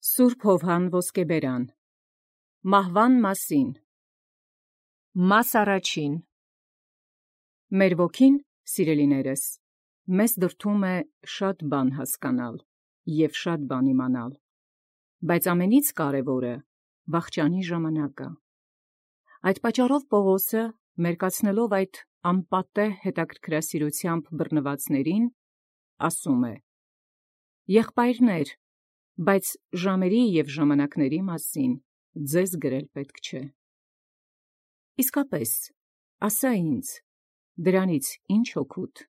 Սուրբ Հովհան Ոսկեբերան Մահվան մասին Մաս առաջին Մեր ոգին, սիրելիներս, մեզ դրդում է շատ բան հասկանալ և շատ բան իմանալ, բայց ամենից կարևորը վախճանի ժամանակը։ Այդ պատճառով Պողոսը, մերկացնելով այդ անպատեհ հետաքրքրասիրությամբ բռնվածներին, ասում է. «Եղբայրներ, բայց ժամերի և ժամանակների մասին ձեզ գրել պետք չէ»։ Իսկապես, ասա ինձ, դրանից ի՞նչ օգուտ։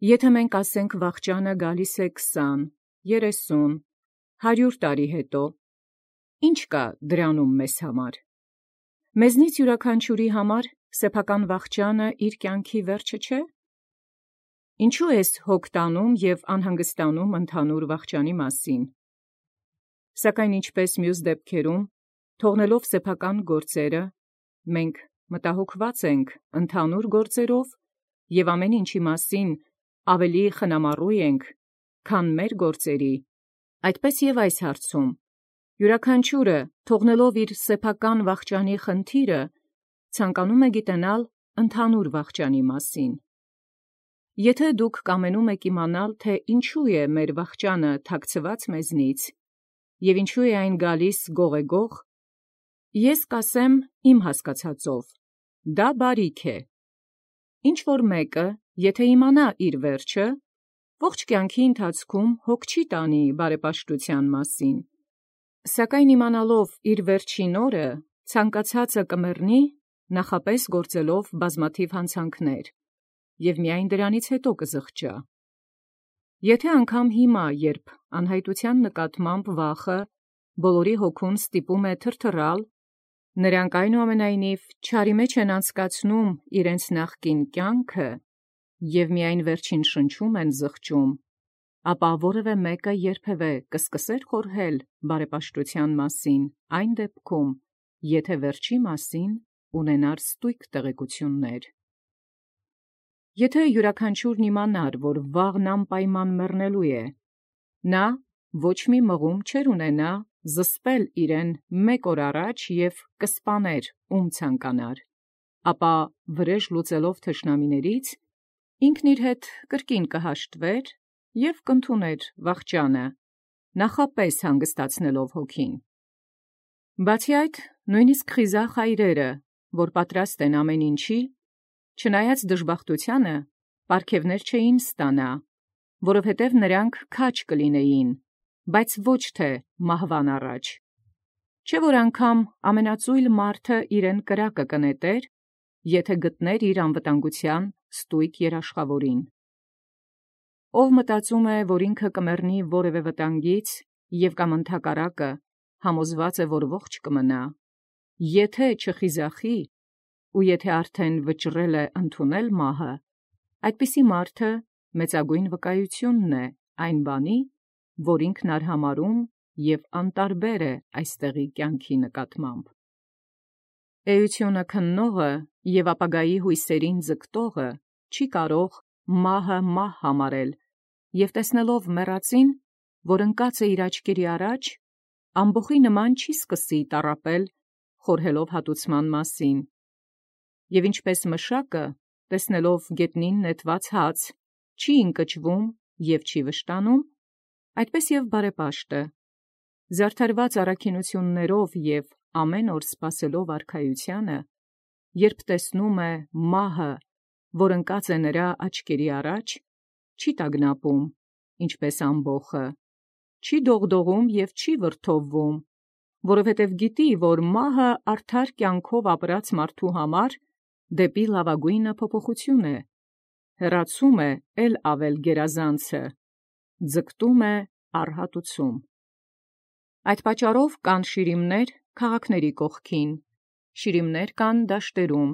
Եթե մենք ասենք վախճանը գալիս է 20, 30, 100 տարի հետո, ի՞նչ կա դրանում մեզ համար։ Մեզնից յուրաքանչյուրի համար սեփական վախճանը իր կյանքի վերջը չէ։ Ինչու ես հոգ տանում և անհանգստանում ընդհանուր վախճանի մասին։ Սակայն ինչպես մյուս դեպքերում, թողնելով սեփական գործերը, մենք մտահոգված ենք ընդհանուր գործերով և ամեն ինչի մասին ավելի խնամառու ենք, քան մեր գործերի, այդպես և այս հարցում, յուրաքանչյուրը թողնելով իր սեփական վախճանի խնդիրը, ցանկանում է գիտենալ ընդհանուր վախճանի մասին։ Եթե դուք կամենում եք իմանալ, թե ինչու է մեր վախճանը թաքցված մեզնից, և ինչու է այն գալիս գողեգող, ես կասեմ իմ հասկացածով, դա բարիք է։ Ինչ-որ մեկը, եթե իմանա իր վերջը, ողջ կյանքի ընթացքում հոգ չի տանի բարեպաշտության մասին, սակայն իմանալով իր վերջին օրը, ցանկացածը կմեռնի, նախապես գործելով բազմաթիվ հանցանքներ, և միայն դրանից հետո կզղջա։ Եթե անգամ հիմա, երբ անհայտության նկատմամբ վախը բոլորի հոգուն ստիպում է թրթռալ, նրանք այնուամենայնիվ չարի մեջ են անցկացնում իրենց նախկին կյանքը և միայն վերջին շնչում են զղջում, ապա որևէ մեկը երբևէ կսկսե՞ր խորհել բարեպաշտության մասին այն դեպքում, եթե վերջի մասին ունենար ստույգ տեղեկություններ։ Եթե յուրաքանչյուրն իմանար, որ վաղն անպայման մեռնելու է, նա ոչ մի մղում չէր ունենա զսպել իրեն մեկ օր առաջ և կսպաներ, ում ցանկանար, ապա վրեժ լուծելով թշնամիներից, ինքն իր հետ կրկին կհաշտվեր և կընդուներ վախճանը, նախապես հանգստացնելով հոգին։ Բացի այդ, նույնիսկ խիզախ հայրերը, որ պատրաստ են ամեն ինչի, չնայած դժբախտությանը, պարգևներ չէին ստանա, որովհետև նրանք քաջ կլինեին, բայց ոչ թե մահվան առաջ։ Չէ՞ որ անգամ ամենածույլ մարդը իրեն կրակը կնետեր, եթե գտներ իր անվտանգության ստույգ երաշխավորին։ Ով մտածում է, որ ինքը կմեռնի որևէ վտանգից և կամ ընդհակառակը համոզված է, որ ողջ կմնա, եթե չխիզախի ու եթե արդեն վճռել է ընդունել մահը, այդպիսի մարդը մեծագույն վկայությունն է այն բանի, որ ինքն արհամարհում և անտարբեր է այստեղի կյանքի նկատմամբ։ Էությունը քննողը և ապագայի հույսերին ձգտողը չի կարող մահը մահ համարել և տեսնելով մեռածին, որ ընկած է իր աչքերի առաջ, ամբոխի նման չի սկսի տառապել, խորհելով հատուցման մասին։ Եվ ինչպես մշակը, տեսնելով գետնին նետված հաց, չի ընկճվում և չի վշտանում, այդպես և բարեպաշտը, զարդարված առաքինություններով և ամեն օր սպասելով արքայությանը, երբ տեսնում է մահը, որ ընկած է նրա աչքերի առաջ, չի տագնապում, ինչպես ամբոխը, չի դողդողում և չի վրդովվում, որովհետև գիտի, որ մահը արդար կյանքով ապրած մարդու համար դեպի լավագույնը փոփոխություն է, հեռացում է էլ ավել գերազանցը, ձգտում է առհատուցում։ Այդ պատճառով կան շիրիմներ քաղաքների կողքին, շիրիմներ կան դաշտերում,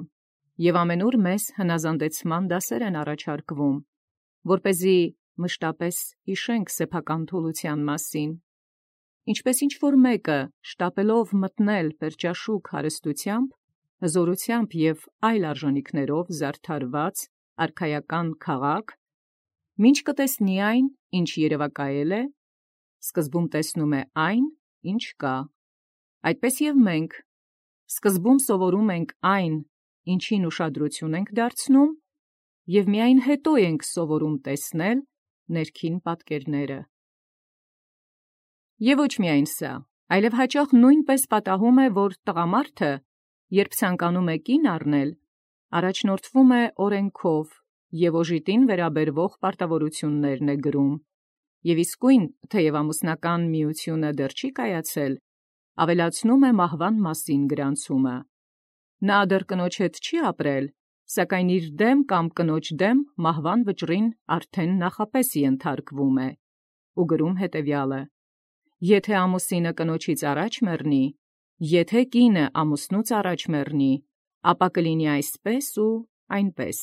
և ամենուր մեզ հնազանդեցման դասեր են առաջարկվում, որպեսզի մշտապես հիշենք սեփական թուլության մասին, ինչպես ինչ-որ մեկը շտապելով մտնել պերճաշուք հարստությամբ, հզորությամբ և այլ արժանիքներով զարդարված արքայական քաղաք, մինչ կտեսնի այն, ինչ երևակայել է, սկզբում տեսնում է այն, ինչ կա։ Այդպես և մենք սկզբում սովորում ենք այն, ինչին ուշադրություն ենք դարձնում, և միայն հետո ենք սովորում տեսնել ներքին պատկերները։ Եվ ոչ միայն սա, այլև հաճախ նույնպես պատահում է, որ տղամարդը, երբ ցանկանում է կին առնել, առաջնորդվում է օրենքով և օժիտին վերաբերվող պարտավորություններն է գրում, և իսկույն, թեև ամուսնական միությունը դեռ չի կայացել, ավելացնում է մահվան մասին գրանցումը։ Նա դեռ կնոջ հետ չի ապրել, սակայն իր դեմ կամ կնոջ դեմ մահվան վճռին արդեն նախապես ենթարկվում է, ու գրում հետևյալը. «Եթե ամուսինը կնոջից առաջ մեռնի, եթե կինը ամուսնուց առաջ մեռնի, ապա կլինի այսպես ու այնպես»։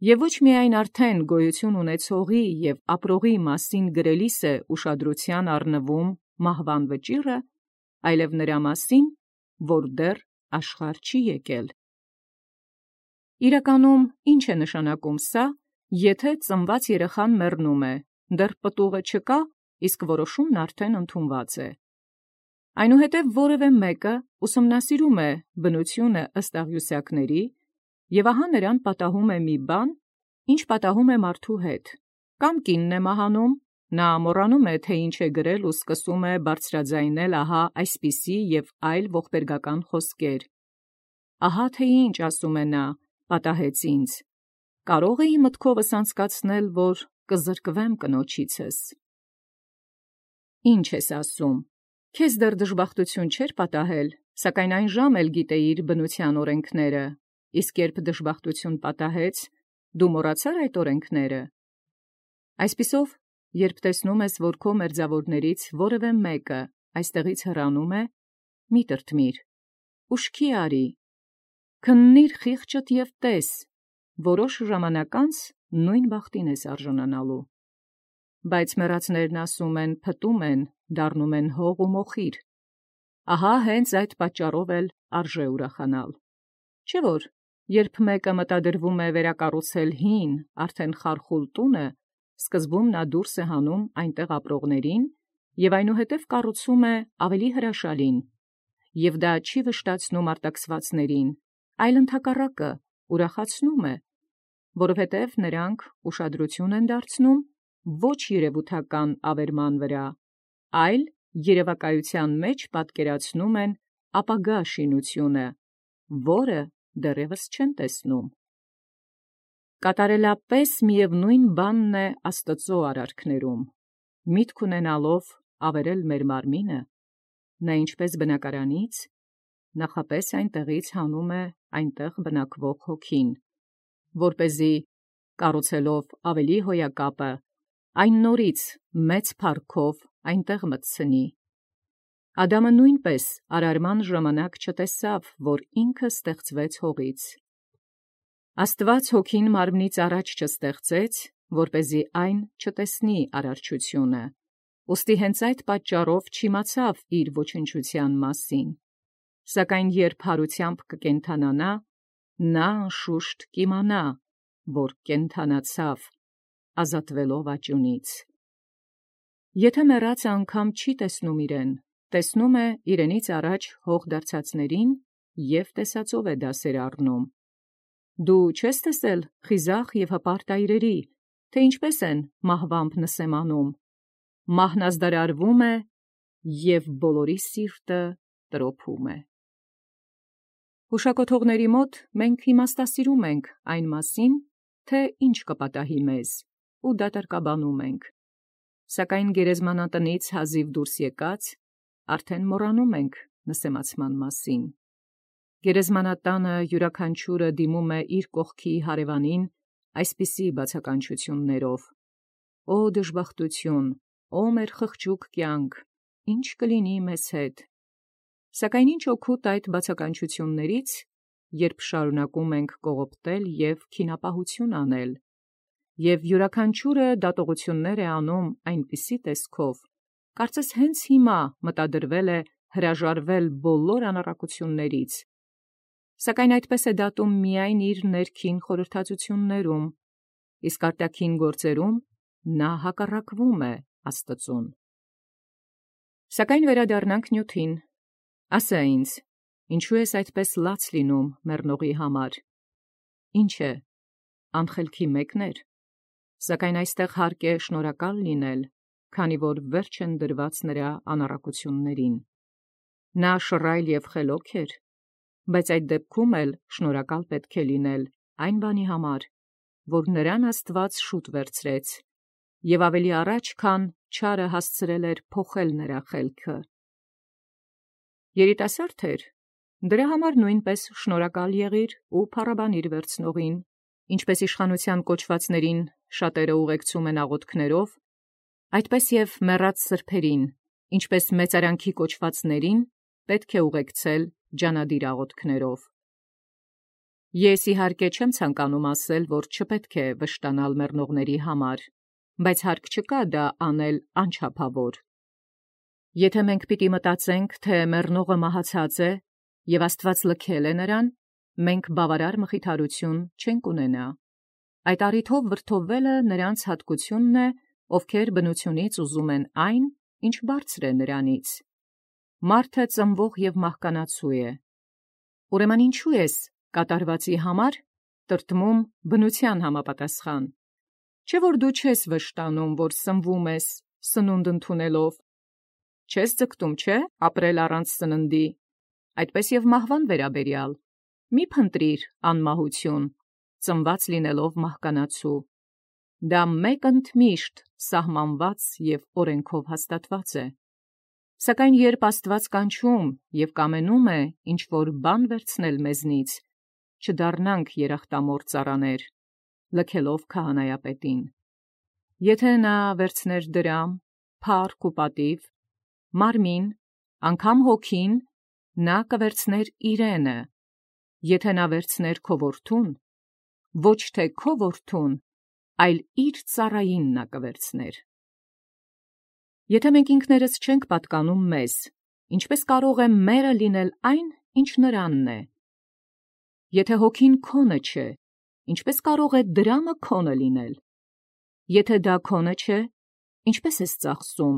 Եվ ոչ միայն արդեն գոյություն ունեցողի և ապրողի մասին գրելիս է ուշադրության առնվում մահվան վճիռը, այլև նրա մասին, որ դեռ աշխարհ չի եկել։ Իրականում ի՞նչ է նշանակում սա, եթե ծնված երեխան մեռնում է, դեռ պտուղը չկա, իսկ որոշումն արդեն ընդունված է։ Այնուհետև որևէ մեկը ուսումնասիրում է բնությունը ըստ աղյուսակների, և ահա նրան պատահում է մի բան, ինչ պատահում է մարդու հետ, կամ կինն է մահանում, նա մոռանում է, թե ինչ է գրել ու սկսում է բարձրաձայնել ահա այսպիսի և այլ ողբերգական խոսքեր. «Ահա թե ինչ ասում է նա, պատահեց ինձ. կարող էի մտքովս անցկացնել, որ կզրկվեմ կնոջիցս»։ Ինչ ես ասում, քեզ դեռ դժբախտություն չէր պատահել, սակայն այն ժամ էլ գիտեիր բնության օրենքները, իսկ երբ դժբախտություն պատահեց, դու մոռացա՞ր այդ օրենքները։ Այսպիսով, երբ տեսնում ես, որ քո մերձավորներից որևէ մեկը այստեղից հեռանում է, մի տրտմիր, ուշքի արի, քննիր խիղճդ և տես, որոշ ժամանակ անց նույն բախտին ես արժանանալու։ Բայց մեռածներն ասում են, փտում են, դառնում են հող ու մոխիր։ Ահա հենց այդ պատճառով էլ արժե ուրախանալ։ Չէ՞ որ, երբ մեկը մտադրվում է վերակառուցել հին, արդեն խարխուլ տունը, սկզբում նա դուրս է հանում այնտեղ ապրողներին և այնուհետև կառուցում է ավելի հրաշալին, և դա չի վշտացնում արտաքսվածներին, այլ ընդհակառակը ուրախացնում է, որովհետև նրանք ուշադրություն են դարձնում ոչ երևութական ավերման վրա, այլ երևակայության մեջ պատկերացնում են ապագա շինությունը, որը դեռևս չեն տեսնում։ Կատարելապես միևնույն բանն է Աստուծո արարքներում, միտք ունենալով ավերել մեր մարմինը, նա ինչպես բնակարանից, նախապես այնտեղից հանում է այնտեղ բնակվող հոգին, որպեսզի կառուցելով ավելի հոյակապը, այն նորից մեծ փառքով այնտեղ մտցնի։ Ադամը նույնպես արարման ժամանակ չտեսավ, որ ինքը ստեղծվեց հողից։ Աստուած հոգին մարմնից առաջ չստեղծեց, որպեսզի այն չտեսնի արարչությունը, ուստի հենց այդ պատճառով չիմացավ իր ոչնչության մասին, սակայն երբ հարությամբ կկենդանանա, նա անշուշտ կիմանա, որ կենդանացավ, ազատվելով աճյունից։ Եթե մեռածը անգամ չի տեսնում իրեն, տեսնում է իրենից առաջ հող դարձածներին և տեսածով է դասեր առնում։ Դու չես տեսել խիզախ և հպարտ այրերի, թե ինչպես են մահվամբ նսեմանում, մահն ազդարարվում է, և բոլորի սիրտը տրոփում է։ Հուշակոթողների մոտ մենք իմաստասիրում ենք այն մասին, թե ինչ կպատահի մեզ, ու դատարկաբանում ենք, սակայն գերեզմանատնից հազիվ դուրս եկած, արդեն մոռանում ենք նսեմացման մասին։ Գերեզմանատանը յուրաքանչյուրը դիմում է իր կողքի հարևանին այսպիսի բացականչություններով. «Օ դժբախտություն, օ մեր խղճուկ կյանք, ի՞նչ կլինի մեզ հետ»։ Սակայն ինչ օգուտ այդ բացականչություններից, երբ շարունակում ենք կողոպտել և քինապահություն անել, և յուրաքանչյուրը դատողություններ է անում այնպիսի տեսքով, կարծես հենց հիմա մտադրվել է հրաժարվել բոլոր անառակություններից, սակայն այդպես է դատում միայն իր ներքին խորհրդածություններում, իսկ արտաքին գործերում նա հակառակվում է Աստծուն։ Սակայն վերադառնանք նյութին։ Ասա ինձ, ինչու ես այդպես լաց լինում մեռնողի համար։ Ինչ է, անխելքի մեկն էր, սակայն այստեղ հարկ է շնորհակալ լինել, քանի որ վերջ են դրված նրա անառակություններին։ Նա շռայլ և խելոք էր, բայց այդ դեպքում էլ շնորհակալ պետք է լինել այն բանի համար, որ նրան Աստված շուտ վերցրեց, և ավելի առաջ, քան չարը հասցրել էր փոխել նրա խելքը։ Երիտասարդ էր, դրա համար նույնպես շնորհակալ եղիր ու փառաբանիր վերցնողին, ինչպես իշխանության կոչվածներին շատերը ուղեկցում են աղոթքներով, այդպես և մեռած սրբերին, ինչպես մեծարանքի կոչվածներին, պետք է ուղեկցել ջանադիր աղոթքներով։ Ես իհարկե չեմ ցանկանում ասել, որ չպետք է վշտանալ մեռնողների համար, բայց հարկ չկա դա անել անչափավոր։ Եթե մենք պիտի մտածենք, թե մեռնողը մահացած է, և Աստված լքել է նրան, մենք բավարար մխիթարություն չենք ունենա։ Այդ առիթով վրդովվելը նրանց հատկությունն է, ովքեր բնությունից ուզում են այն, ինչ բարձր է նրանից։ Մարդը ծնվող և մահկանացու է։ Ուրեմն ինչու ես կատարվածի համար տրտմում բնության համապատասխան։ Չէ՞ որ դու չես վշտանում, որ սնվում ես սնունդ ընդունելով, չես ձգտում, չէ՞, ապրել առանց սննդի, այդպես և մահվան վերաբերյալ, մի փնտրիր անմահություն, ծնված լինելով մահկանացու։ Դա մեկ ընդմիշտ սահմանված և օրենքով հաստատված է։ Սակայն երբ Աստված կանչում և կամենում է ինչ-որ բան վերցնել մեզնից, չդառնանք երախտամոռ ծառաներ, լքելով քահանայապետին։ Եթե նա վերցներ դրամ, փառք ու պատիվ, մարմին, անգամ հոգին, նա կվերցներ իրենը, եթե նա վերցներ քո որդուն, ոչ թե քո որդուն, այլ իր ծառային նա կվերցներ։ Եթե մենք ինքներս չենք պատկանում մեզ, ինչպես կարող է մերը լինել այն, ինչ նրանն է։ Եթե հոգին քոնը չէ, ինչպես կարող է դրամը քոնը լինել։ Եթե դա քոնը չէ, ինչպես ես ծախսում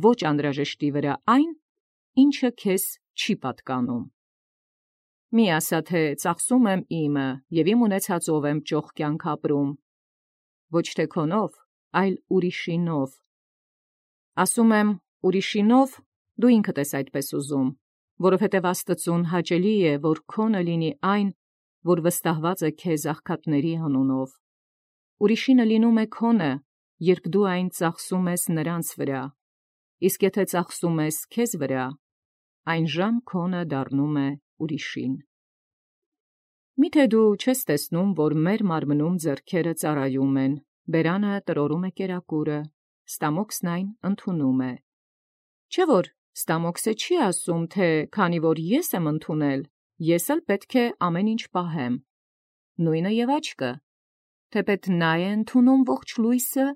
ոչ անհրաժեշտի վրա այն, ինչը քեզ չի պատկանում։ Մի ասա, թե ծախսում եմ իմը և իմ ունեցածով եմ ճոխ կյանք ապրում, ոչ թե քոնով, այլ ուրիշինով։ Ասում եմ ուրիշինով, դու ինքդ ես այդպես ուզում, որովհետև Աստծուն հաճելի է, որ քոնը լինի այն, որ վստահված է քեզ աղքատների անունով։ Ուրիշինը լինում է քոնը, երբ դու այն ծախսում ես նրանց վրա, իսկ եթե ծախսում ես քեզ վրա, այն ժամ քոնը դառնում է ուրիշին։ Միթե դու չես տեսնում, որ մեր մարմնում ձեռքերը ծառայում են, բերանը տրորում է կերակուրը, ստամոքսն այն ընդունում է։ Չէ՞ որ ստամոքսը չի ասում, թե քանի որ ես եմ ընդունել, ես էլ պետք է ամեն ինչ պահեմ։ Նույնը և աչքը, թեպետ նա է ընդունում ողջ լույսը,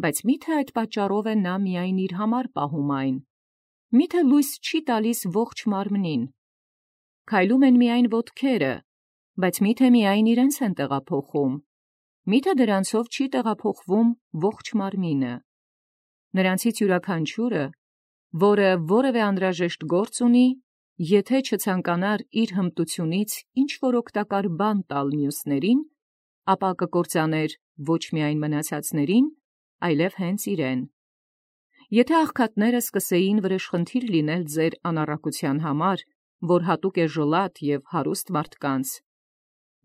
բայց միթե այդ պատճառով է նա միայն իր համար պահում այն։ Միթե լույս չի տալիս ողջ մարմնին։ Քայլում են միայն ոտքերը, բայց միթե միայն իրենց են տեղափոխում։ Միթե դրանցով չի տեղափոխվում ողջ մարմինը։ Նրանցից յուրաքանչյուրը, որը որևէ անհրաժեշտ գործ ունի, եթե չցանկանար իր հմտությունից ինչ-որ օգտակար բան տալ մյուսներին, ապա կկործաներ ոչ միայն մնացածներին, այլև հենց իրեն։ Եթե աղքատները սկսեին վրեժխնդիր լինել ձեր անառակության համար, որ հատուկ է ժլատ և հարուստ մարդկանց,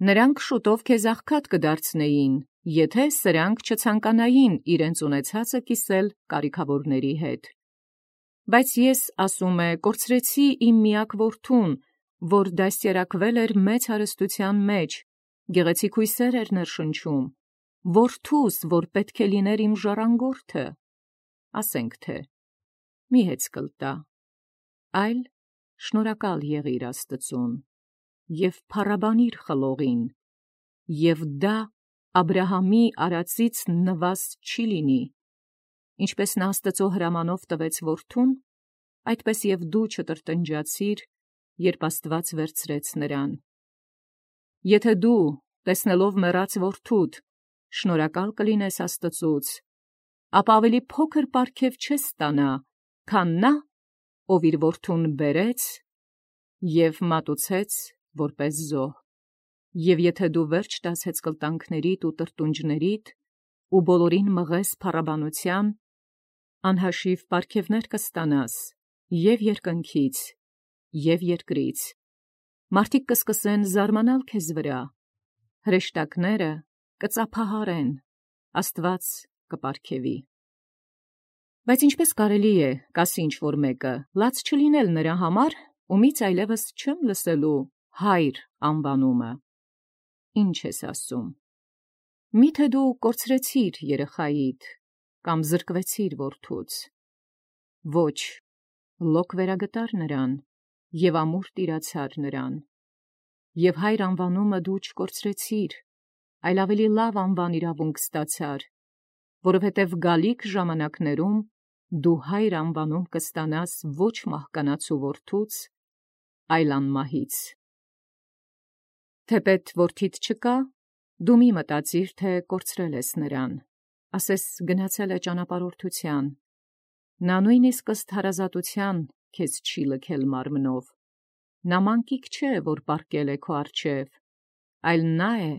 նրանք շուտով քեզ աղքատ կդարձնեին, եթե սրանք չցանկանային իրենց ունեցածը կիսել կարիքավորների հետ։ Բայց ես, ասում է, կորցրեցի իմ միակ որդուն, որ դաստիարակվել էր մեծ հարստության մեջ, գեղեցիկ հույսեր էր ներշնչում, որդուս, որ պետք է լիներ իմ ժառանգորդը, ասենք թե, մի հեծկլ տա, այլ շնորհակալ եղիր Աստծուն և փառաբանիր խլողին, և դա Աբրահամի արածից նվազ չի լինի, ինչպես նա Աստծո հրամանով տվեց որդուն, այդպես և դու չտրտնջացիր, երբ Աստված վերցրեց նրան։ Եթե դու, տեսնելով մեռած որդուդ, շնորհակալ կլինես Աստծուց, ապա ավելի փոքր պարգև չես ստանա, քան նա, ով իր որդուն բերեց և մատուցեց որպես զոհ, և եթե դու վերջ տաս հեծկլտանքներիդ ու տրտունջներիդ, ու բոլորին մղես փառաբանության, անհաշիվ պարգևներ կստանաս և երկնքից, և երկրից. մարդիկ կսկսեն զարմանալ քեզ վրա, հրեշտակները կծափահարեն, Աստված կպարգևի։ Բայց ինչպես կարելի է, կասի ինչ-որ մեկը, լաց չլինել նրա համար, ումից այլևս չեմ լսելու հայր անվանումը։ Ինչ ես ասում։ Միթե դու կորցրեցիր երեխայիդ, կամ զրկվեցիր որդուց։ Ոչ, լոկ վերագտար նրան, և ամուր տիրացար նրան։ Եվ հայր անվանումը դու չկորցրեցիր, այլ ավելի լավ անվան իրավունք ստացար, որովհետև գալիք ժամանակներում դու հայր անվանում կստանաս ոչ մահկանացու որդուց, այլ անմահից։ Թեպետ որդիդ չկա, դու մի մտածիր, թե կորցրել ես նրան, ասես գնացել է ճանապարհորդության, նա նույնիսկ ըստ հարազատության քեզ չի լքել մարմնով, նա մանկիկ չէ, որ պառկել է քո առջև, այլ նա է,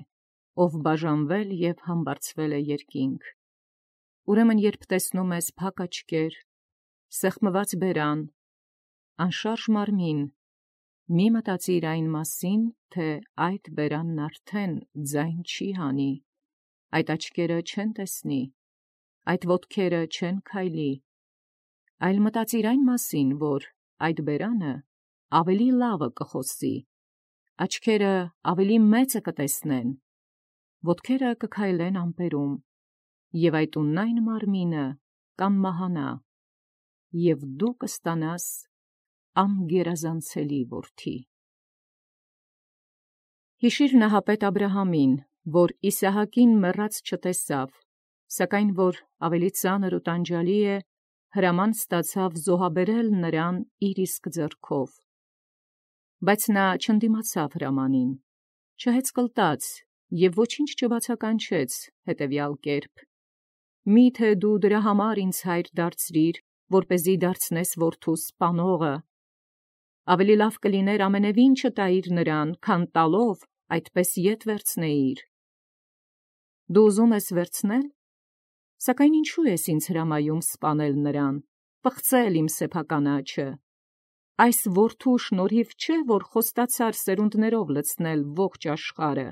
ով բաժանվել և համբարձվել է երկինք։ Ուրեմն երբ տեսնում ես փակ աչքեր, սեղմված բերան, անշարժ մարմին, մի մտածիր այն մասին, թե այդ բերանն արդեն ձայն չի հանի, այդ աչքերը չեն տեսնի, այդ ոտքերը չեն քայլի, այլ մտածիր այն մասին, որ այդ բերանը ավելի լավը կխոսի, աչքերը ավելի մեծը կտեսնեն, ոտքերը կքայլեն ամպերում, և այդ ունայն մարմինը կանմահանա, և դու կստանաս անգերազանցելի որդի։ Հիշիր նահապետ Աբրահամին, որ Իսահակին մեռած չտեսավ, սակայն որ ավելի ծանր ու տանջալի է, հրաման ստացավ զոհաբերել նրան իր իսկ ձեռքով։ Բայց նա չընդդիմացավ հրամանին, չհեծկլտաց և ոչինչ չբացականչեց հետևյալ կերպ. «Միթե դու դրա համար ինձ հայր դարձրիր, որպեսզի դարձնես որդուս սպանողը, ավելի լավ կլիներ ամենևին չտայիր նրան, քան տալով այդպես ետ վերցնեիր։ Դու ուզում ես վերցնել, սակայն ինչու ես ինձ հրամայում սպանել նրան, պղծել իմ սեփական աջը։ Այս որդու շնորհիվ չէ, որ խոստացար սերունդներով լցնել ողջ աշխարհը։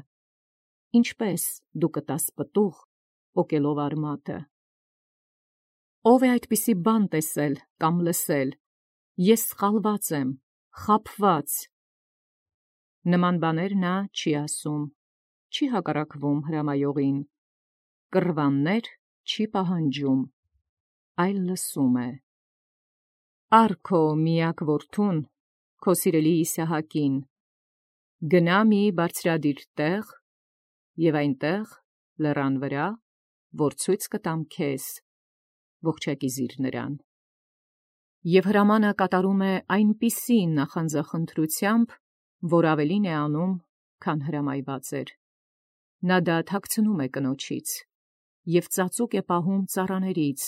Ինչպես դու կտաս պտուղ, պոկելով արմատը։ Ո՞վ է այդպիսի բան տեսել կամ լսել, ես սխալված եմ, խաբված։ Նման բաներ նա չի ասում, չի հակառակվում հրամայողին, կռվաններ չի պահանջում, այլ լսում է։ Առ քո միակ որդուն, քո սիրելի Իսահակին, գնա մի բարձրադիր տեղ, և այնտեղ լեռան վրա, որ ցույց կտամ քեզ, ողջակիզիր նրան։ Եվ հրամանը կատարում է այնպիսի նախանձախնդրությամբ, որ ավելին է անում, քան հրամայված էր։ Նա դա թաքցնում է կնոջից և ծածուկ է պահում ծառաներից,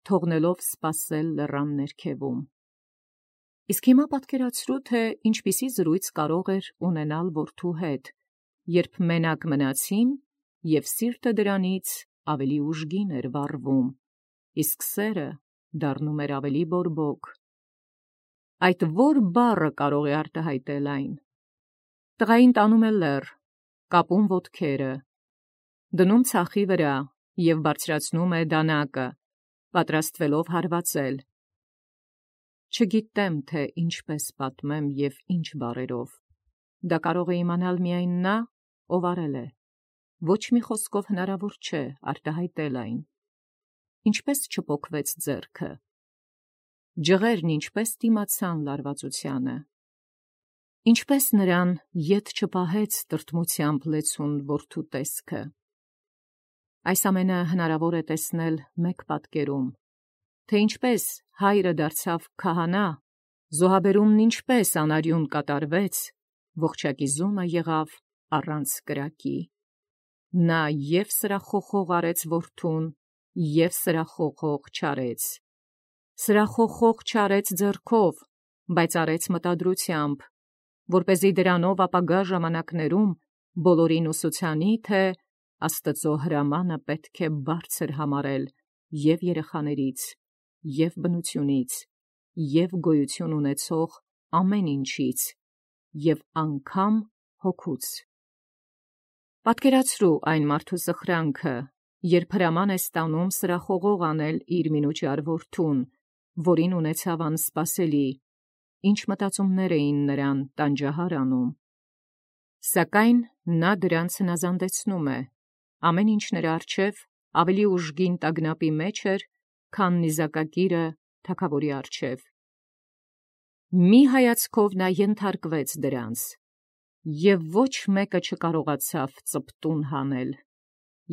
թողնելով սպասել լեռան ներքևում։ Իսկ հիմա պատկերացրու, թե ինչպիսի զրույց կարող էր ունենալ որդու հետ, երբ մենակ մնացին, և սիրտը դրանից ավելի ուժգին էր վառվում, իսկ սերը դառնում էր ավելի բորբոք։ Այդ ո՞ր բառը կարող է արտահայտել այն։ Տղային տանում է լեռ, կապում ոտքերը, դնում ցախի վրա և բարձրացնում է դանակը, պատրաստվելով հարվածել։ Չգիտեմ, թե ինչպես պատմեմ և ինչ բառերով։ Դա կարող է իմանալ միայն նա, ով արել է։ Ոչ մի խոսքով հնարավոր չէ արտահայտել այն։ Ինչպես չպոկվեց ձեռքը։ Ջղերն ինչպես դիմացան լարվածությանը։ Ինչպես նրան ետ չպահեց տրտմությամբ լեցուն որդու տեսքը։ Այս ամենը հնարավոր է տեսնել մեկ պատկերում, թե ինչպես հայրը դարձավ քահանա, զոհաբերումն ինչպես անարյուն կատարվեց, ողջակիզումը եղավ առանց կրակի։ Նա և սրախոխող արեց որդուն, և սրախոխող չարեց։ սրախոխող չարեց ձեռքով, բայց արեց մտադրությամբ, որպեսզի դրանով ապագա ժամանակներում բոլորին ուսուցանի, թե Աստծո հրամանը պետք է բարձր համարել և երեխաներից, և բնությունից, և գոյություն ունեցող ամեն ինչից, և անգամ հոգուց։ Պատկերացրու այն մարդու սխրանքը, երբ հրաման է ստանում սրախողող անել իր մինուճար որդուն, որին ունեցավ անսպասելի, ինչ մտածումներ էին նրան տանջահար անում։ Սակայն նա դրանց հնազանդեցնում է, ամեն ինչ նրա առջև ավելի ուժգին տագնապի մեջ էր, քան նիզակակիրը թագավորի առջև։ Մի հայացքով նա ենթարկվեց դրանց, և ոչ մեկը չկարողացավ ծպտուն հանել,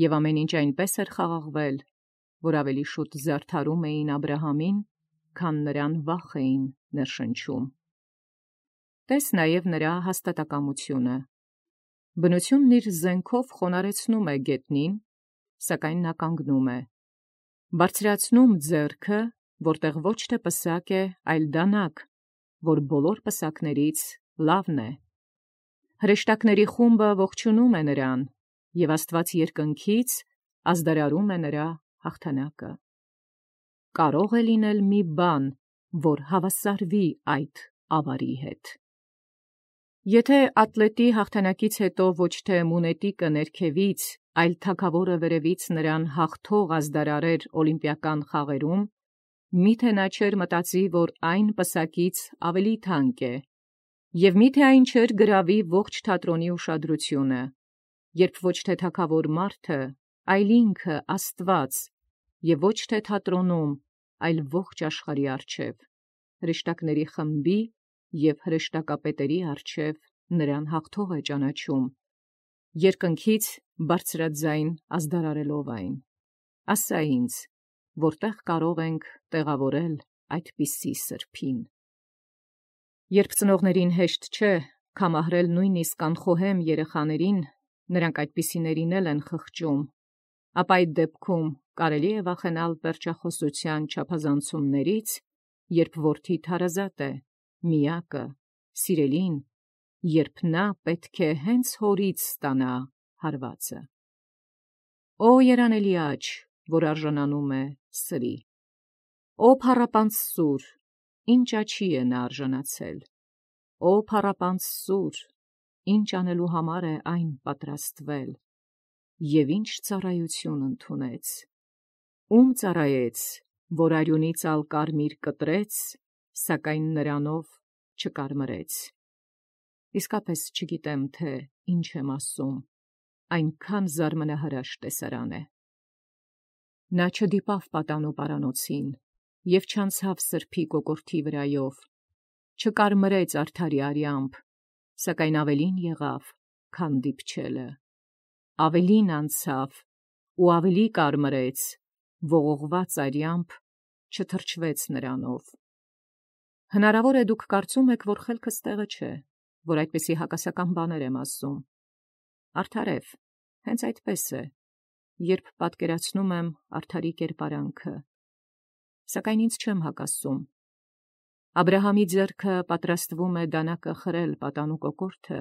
և ամեն ինչ այնպես էր խաղաղվել, որ ավելի շուտ զարդարում էին Աբրահամին, քան նրան վախ էին ներշնչում։ Տես նաև նրա հաստատակամությունը։ Բնությունն իր զենքով խոնարհեցնում է գետնին, սակայն նա կանգնում է, բարձրացնում ձեռքը, որտեղ ոչ թե պսակ է, այլ դանակ, որ բոլոր պսակներից լավն է։ Հրեշտակների խումբը ողջունում է նրան, և Աստված երկնքից ազդարարում է նրա հաղթանակը։ Կարող է լինել մի բան, որ հավասարվի այդ ավարի հետ։ Եթե ատլետի հաղթանակից հետո ոչ թե մունետիկը ներքևից, այլ թագավորը վերևից նրան հաղթող ազդարարեր օլիմպիական խաղերում, միթե նա չէր մտածի, որ այն պսակից ավելի թանկ է, և միթե այն չէր գրավի ողջ թատրոնի ուշադրությունը, երբ ոչ թե թագավոր մարդը, այլ ինքը Աստված, և ոչ թե թատրոնում, այլ ողջ աշխարհի առջև, հրեշտակների խմբի և հրեշտակապետերի առջև նրան հաղթող է ճանաչում, երկնքից բարձրաձայն ազդարարելով այն։ Ասա ինձ, որտեղ կարող ենք տեղավորել այդպիսի սրբին։ Երբ ծնողներին հեշտ չէ կամահրել նույնիսկ անխոհեմ երեխաներին, նրանք այդպիսիներին էլ են խղճում, ապա այդ դեպքում կարելի է վախենալ պերճախոսության չափազանցումներից, երբ որդիդ հարազատ է, միակը, սիրելին, երբ նա պետք է հենց հորից ստանա հարվածը։ Օ երանելի աջ, որ արժանանում է սրի, Օ փառապանծ սուր, ինչ աչի է նա արժանացել, Օ փառապանծ սուր, ինչ անելու համար է այն պատրաստվել, և ինչ ծառայություն ընդունեց, ում ծառայեց, որ արյունից ալ կարմիր կտրեց, սակայն նրանով չկարմրեց։ Իսկապես չգիտեմ, թե ինչ եմ ասում, այնքան զարմանահրաշ տեսարան է։ Նա չդիպավ պատանու պարանոցին և չանցավ սրբի կոկորդի վրայով, չկարմրեց արդարի արյամբ, սակայն ավելին եղավ, քան դիպչելը, ավելին անցավ ու ավելի կարմրեց, ողողված արյամբ չթրջվեց նրանով։ Հնարավոր է դուք կարծում եք, որ խելքս տեղը չէ, որ այդպիսի հակասական բաներ եմ ասում։ Արդարև, հենց այդպես է, երբ պատկերացնում եմ արդարի կերպարանքը, սակայն ինձ չեմ հակասում։ Աբրահամի ձեռքը պատրաստվում է դանակը խրել պատանու կոկորդը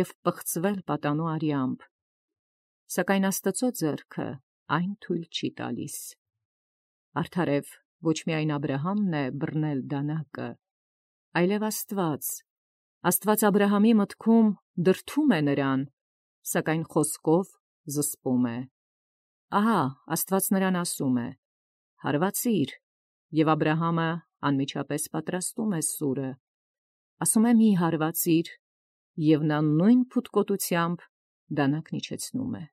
և պղծվել պատանու արյամբ, սակայն Աստծո ձեռքը այն թույլ չի տալիս։ Արդարև, ոչ միայն Աբրահամն է բռնել դանակը, այլև Աստված։ Աստված Աբրահամի մտքում դրդում է նրան, սակայն խոսքով զսպում է։ Ահա Աստված նրան ասում է. հարվածիր, և Աբրահամը անմիջապես պատրաստում է սուրը, ասում է՝ մի հարվածիր, և նա նույն փութկոտությամբ դանակն իջեցնում է։